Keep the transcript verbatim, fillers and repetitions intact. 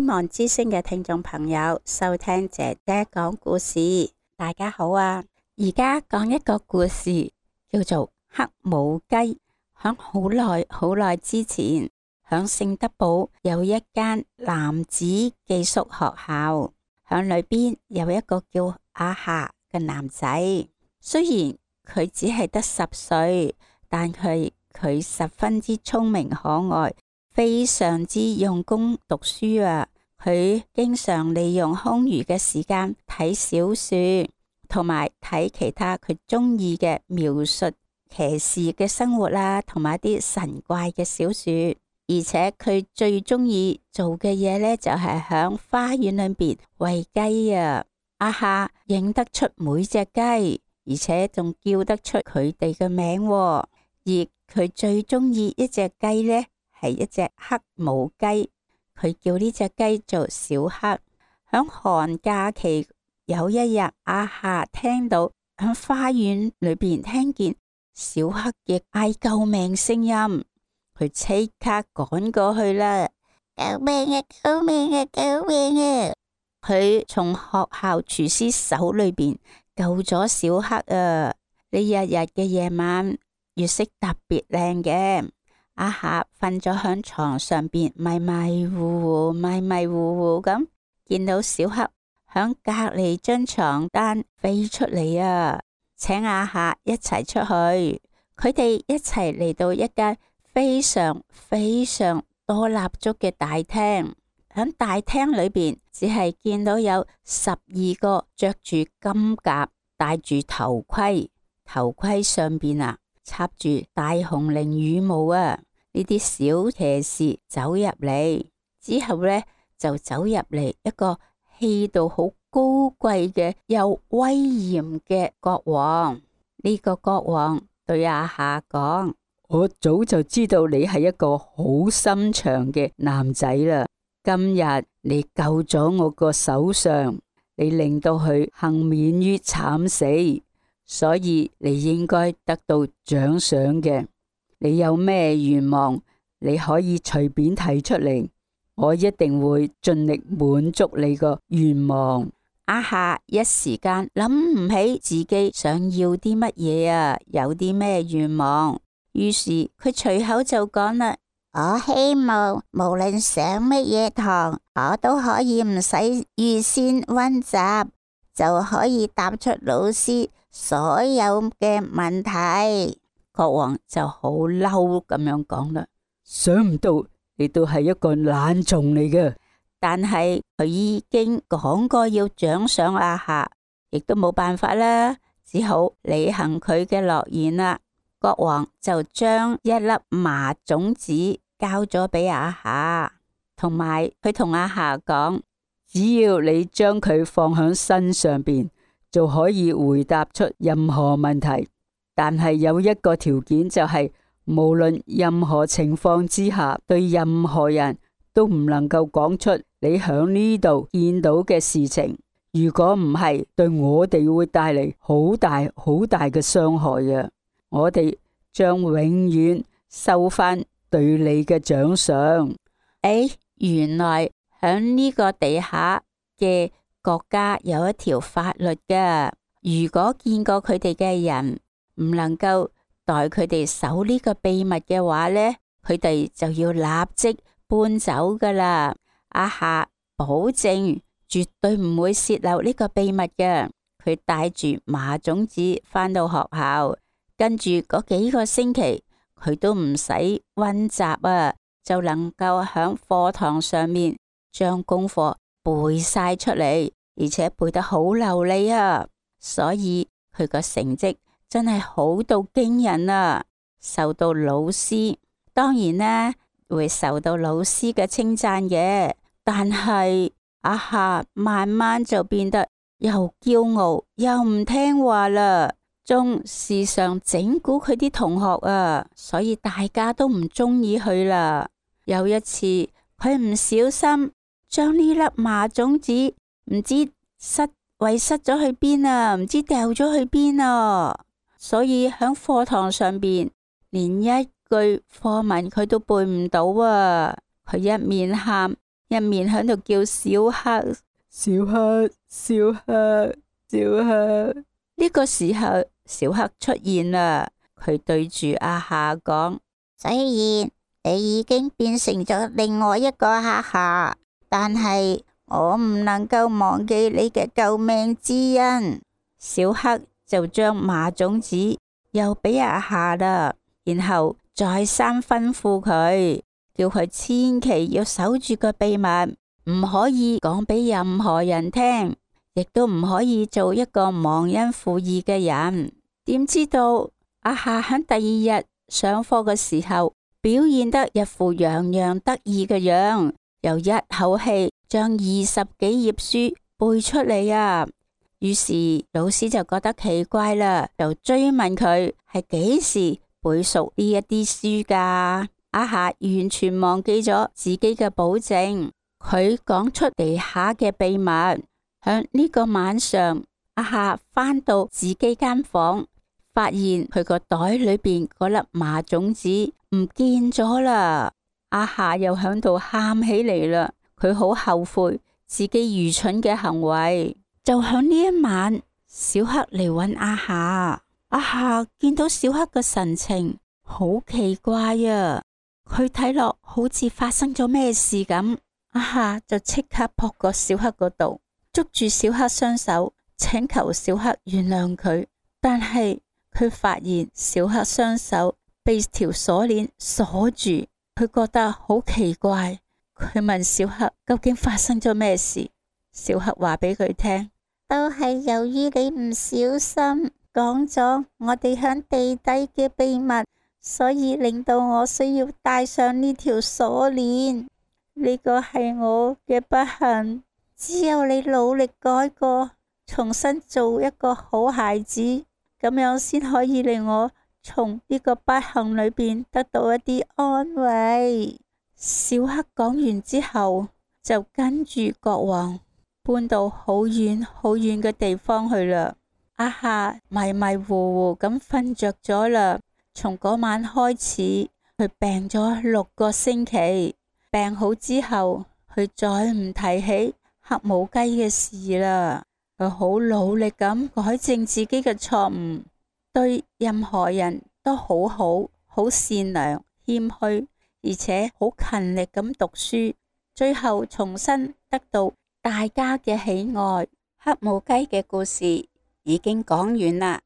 望之聲嘅聽眾朋友收聽姐姐講故事。大家好啊！而家講一個故事，叫做黑母雞。響好耐好耐之前，響聖德堡有一間男子寄宿學校，響裏邊有一個叫阿夏嘅男仔。雖然佢只係得十歲，但佢佢十分之聰明可愛，非常之用功讀書啊！佢經常利用空餘嘅時間睇小說，同埋睇其他佢中意嘅描述騎士嘅生活啦，同埋啲神怪嘅小說。而且佢最中意做嘅嘢呢，就係響花園裏邊餵雞啊！阿夏認得出每隻雞，而且仲叫得出佢哋嘅名。而佢最中意一隻雞呢，係一隻黑母雞。佢叫呢隻雞做小黑。響寒假期有一日，阿夏聽到響花園裏邊聽見小黑嘅嗌救命聲音，佢即刻趕過去啦！救命啊！救命啊！救命啊！佢從學校廚師手裏邊救咗小黑啊！呢日日嘅夜晚，月色特別靚嘅。阿夏瞓咗響床上邊，迷迷糊糊、迷迷糊糊咁，見到小黑響隔籬張床單飛出嚟啊！請阿夏一齊出去。佢哋一齊嚟到一間非常非常多蠟燭嘅大廳。響大廳裏邊，只係見到有十二個着住金甲、戴住頭盔，頭盔上邊啊插住大紅綾羽毛啊！呢啲小騎士走入嚟之後呢，就走入嚟一個氣度好高貴嘅又威嚴嘅國王。呢個國王對阿夏講：我早就知道你係一個好心腸嘅男仔啦。今日你救咗我個首相，你令到佢幸免於慘死，所以你應該得到獎賞嘅。你有咩願望，你可以隨便提出嚟，我一定會盡力滿足你個願望。阿夏一時間諗唔起自己想要啲乜嘢啊，有啲咩願望，於是佢隨口就講啦：我希望無論上乜嘢堂，我都可以唔使預先溫習，就可以答出老師所有嘅問題。國王就好嬲咁樣講啦，想唔到你都係一個懶蟲嚟嘅。但係佢已經講過要獎賞阿夏，亦都冇辦法啦，只好履行佢嘅諾言啦。國王就將一粒麻種子交咗俾阿夏，同埋佢同阿夏講，只要你將佢放喺身上邊，就可以回答出任何問題。但係有一個條件，就係無論任何情況之下，對任何人都唔能夠講出你響呢度見到嘅事情。如果唔係，對我哋會帶嚟好大好大嘅傷害嘅。我哋將永遠收翻對你嘅獎賞。誒，原來響呢個地下嘅國家有一條法律㗎，如果見過佢哋嘅人唔能夠代佢哋守呢個秘密嘅話呢，佢哋就要立即搬走噶啦。阿夏保證絕對唔會洩漏呢個秘密嘅。佢帶住麻種子返到學校，跟住嗰幾個星期，佢都唔使溫習啊，就能夠喺課堂上面將功課背晒出嚟，而且背得好流利啊。所以佢個成績真係好到驚人啊！受到老師，當然啦，會受到老師嘅稱讚嘅。但係阿夏慢慢就變得又驕傲又唔聽話啦，仲時常整蠱佢啲同學啊，所以大家都唔中意佢啦。有一次，佢唔小心將呢粒麻種子唔知失遺失咗去邊啊，唔知掉咗去邊啊。所以喺課堂上邊，連一句課文佢都背唔到啊！佢一面喊，一面喺度叫小黑、小黑、小黑、小黑。呢個時候，小黑出現啦，佢對住阿夏講：雖然你已經變成咗另外一個黑夏，但係我唔能夠忘記你嘅救命之恩。小黑就將麻種子又俾阿夏啦，然後再三吩咐佢，叫佢千祈要守住個秘密，唔可以講俾任何人聽，亦都唔可以做一個忘恩負義嘅人。點知道阿夏喺第二日上課嘅時候，表現得一副洋洋得意嘅樣，又一口氣將二十幾頁書背出嚟啊！於是老師就覺得奇怪啦，就追問佢係幾時背熟呢一啲書噶？阿夏完全忘記咗自己嘅保證，佢講出地下嘅秘密。響呢個晚上，阿夏返到自己間房，發現佢個袋裏邊嗰粒麻種子唔見咗啦。阿夏又響度喊起嚟啦，佢好後悔自己愚蠢嘅行為。就響呢一晚，小黑嚟揾阿夏。阿夏見到小黑嘅神情好奇怪啊，佢睇落好似發生咗咩事咁。阿夏就即刻撲過小黑嗰度，捉住小黑雙手，請求小黑原諒佢。但係佢發現小黑雙手被條鎖鏈鎖住，佢覺得好奇怪。佢問小黑究竟發生咗咩事？小黑話俾佢聽，都係由於你唔小心講咗我哋響地底嘅秘密，所以令到我需要戴上呢條鎖鏈。呢個係我嘅不幸，只有你努力改過，重新做一個好孩子，咁樣先可以令我從呢個不幸裏邊得到一啲安慰。小黑講完之後，就跟住國王搬到好遠好遠嘅地方去啦。阿夏迷迷糊糊咁瞓着咗啦。從嗰晚開始，佢病咗六個星期。病好之後，佢再唔提起黑母雞嘅事啦。佢好努力咁改正自己嘅錯誤，對任何人都好好，好善良、謙虛，而且好勤力咁讀書。最後重新得到大家嘅喜愛。黑母雞嘅故事已經講完啦。